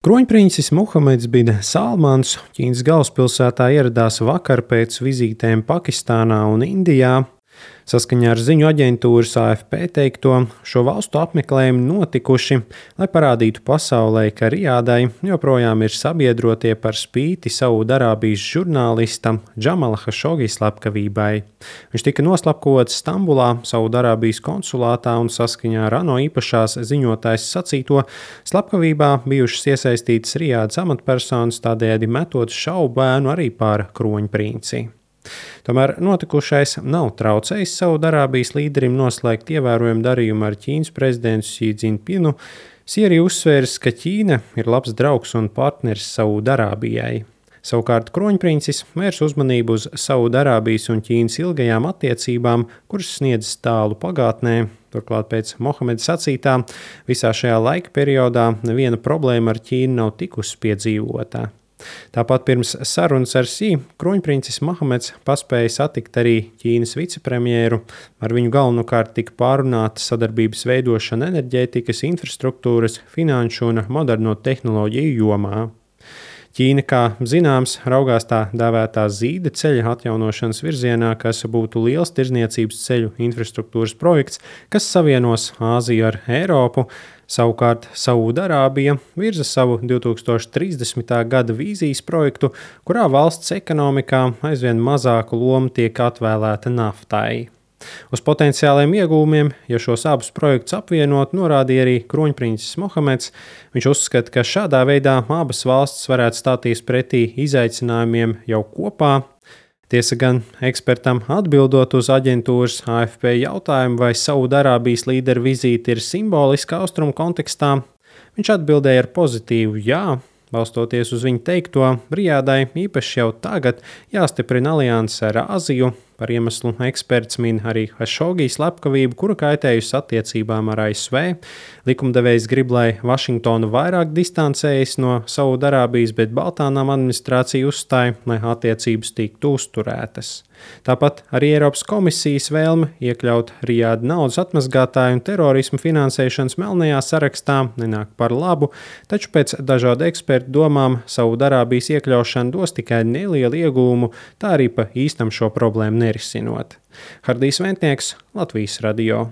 Kroņpriņcis Muhameds bin Salmans Ķīnas galvaspilsētā ieradās vakar pēc vizītēm Pakistānā un Indijā. Saskaņā ar ziņu aģentūras AFP teikto, šo valstu apmeklējumi notikuši, lai parādītu pasaulē, ka Rijādai joprojām ir sabiedrotie par spīti Saudarābijas žurnālista Džamala Hašogi slepkavībai. Viņš tika noslapkots Stambulā, Saudarābijas konsulātā, un saskaņā ar ANO īpašās ziņotājas sacīto, slepkavībā bijušas iesaistītas Rijādas amatpersonas, tādējādi metot šaubu bēnu arī par kroņprinci. Tomēr notikušais nav traucējis Saudarābijas līderim noslēgt ievērojumu darījumu ar Ķīnas prezidentu Xi Jinpingu. Xi arī uzsvērs, ka Ķīna ir labs draugs un partneris Saudarābijai. Savukārt kroņprincis vērs uzmanību uz Saudarābijas un Ķīnas ilgajām attiecībām, kuras sniedzas tālu pagātnē. Turklāt pēc Mohameda sacītā, visā šajā laika periodā neviena problēma ar Ķīnu nav tikusi piedzīvota. Tāpat pirms sarunas ar Xi, kroņprincis Mohameds paspēja satikt arī Ķīnas vicepremjeru. Ar viņu galvenokārt tika pārunāta sadarbības veidošana enerģētikas, infrastruktūras, finanšu un moderno tehnoloģiju jomā. Ķīna, kā zināms, raugās tā dēvētā zīda ceļa atjaunošanas virzienā, kas būtu liels tirdzniecības ceļu infrastruktūras projekts, kas savienos Āziju ar Eiropu. Savukārt Saudarābija virza savu 2030. gada vīzijas projektu, kurā valsts ekonomikā aizvien mazāku lomu tiek atvēlēta naftai. Uz potenciāliem iegūmiem, ja šos abus projektus apvienot, norādīja arī kroņprincis Mohameds. Viņš uzskata, ka šādā veidā abas valstis varētu stāties pretī izaicinājumiem jau kopā. Tiesa gan ekspertam atbildot uz aģentūras AFP jautājumu, vai Saudarābijas līderu vizīte ir simboliska austrumu kontekstā, viņš atbildēja ar pozitīvu jā. Balstoties uz viņu teikto, Rijādai īpaši jau tagad jāstiprina alianse ar Āziju. Par iemeslu eksperts min arī Hašogi slepkavību, kura kaitējusi attiecībām ar ASV. Likumdevējs grib, lai Vašingtona vairāk distancējas no Saudarābijas, bet Baltānām administrācija uzstāja, lai attiecības tiktu uzturētas. Tāpat arī Eiropas komisijas vēlme iekļaut Rijādu naudas atmazgātāju un terorismu finansēšanas melnajā sarakstā nenāk par labu, taču pēc dažādu ekspertu domām Saudarābijas iekļaušana dos tikai nelielu iegūmu, tā arī pa īstam šo problēmu nerisinot. Hardijs Ventnieks, Latvijas radio.